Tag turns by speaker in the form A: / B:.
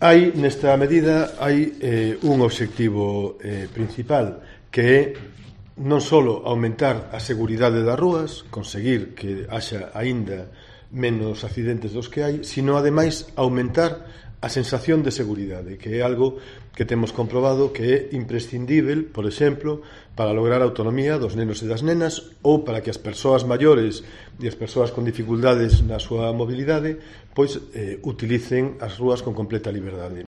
A: Nesta medida, hai un obxectivo principal, que é non só aumentar a seguridade das rúas, conseguir que haxa aínda menos accidentes dos que hai, sino, ademais, aumentar a sensación de seguridade, que é algo que temos comprobado que é imprescindível, por exemplo, para lograr a autonomía dos nenos e das nenas, ou para que as persoas maiores e as persoas con dificultades na súa mobilidade pois utilicen as rúas con completa liberdade.